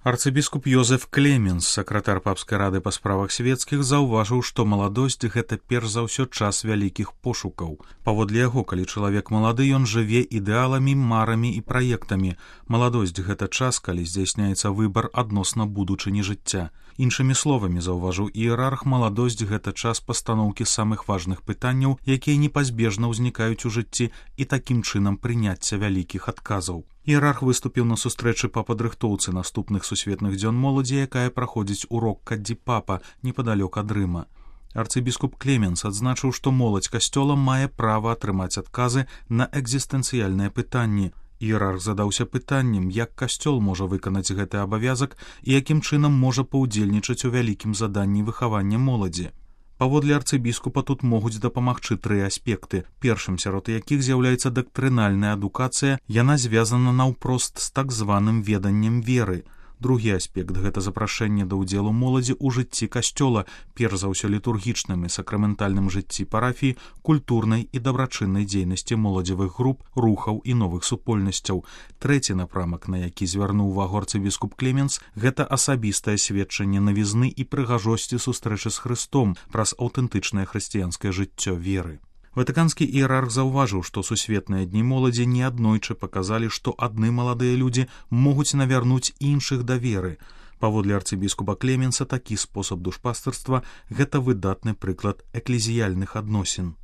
Арцыбіскуп Йозеф Клеменс, сакратар папскай рады па справах свецкіх, заўважыў, што маладосць – гэта перш за ўсё час вялікіх пошукаў. Паводле яго, калі чалавек малады, ён жыве ідэаламі, марамі і праектамі. Маладосць – гэта час, калі здзяйсняецца выбар адносна будучыні жыцця. Іншымі словамі, заўважыў іерарх, маладосць – гэта час пастаноўкі самых важных пытанняў, якія непазбежна ўзнікаюць у жыцці, і такім чынам прыняцця вялікіх адказаў. Іерарх выступіў на сустрэчы па падрыхтоўцы наступных сусветных дзён моладзі, якая праходзіць у Рокка-ді-Папа, непадалёк ад Рыма. Арцыбіскуп Клеменс адзначыў, што моладзь касцёла мае права атрымаць адказы на экзістэнцыяльныя пытанні. Іерарх задаўся пытаннем, як касцёл можа выканаць гэты абавязак і якім чынам можа паўдзельнічаць у вялікім заданні выхавання моладзі. Паводле арцыбіскупа тут могуць дапамагчы тры аспекты, першым сярод якіх з'яўляецца дактрынальная адукацыя, яна звязана наўпрост з так званым веданнем веры. Другі аспект – гэта запрашэнне да ўдзелу моладзі ў жыцці касцёла, перш за ўсё літургічным і сакраментальным жыцці парафіі, культурнай і дабрачыннай дзейнасці моладзевых груп, рухаў і новых супольнасцяў. Трэці напрамак, на які звярнуў увагу арцыбіскуп Клеменс – гэта асабістае сведчанне навізны і прыгажосці сустрэчы з Хрыстом праз аўтэнтычнае хрысціянскае жыццё веры. Ватыканскі іерарх заўважыў, што сусветныя дні моладзі неаднойчы паказалі, што адны маладыя людзі могуць навярнуць іншых да веры. Паводле арцыбіскупа Клеменса такі спосаб душпастырства – гэта выдатны прыклад эклезіяльных адносін.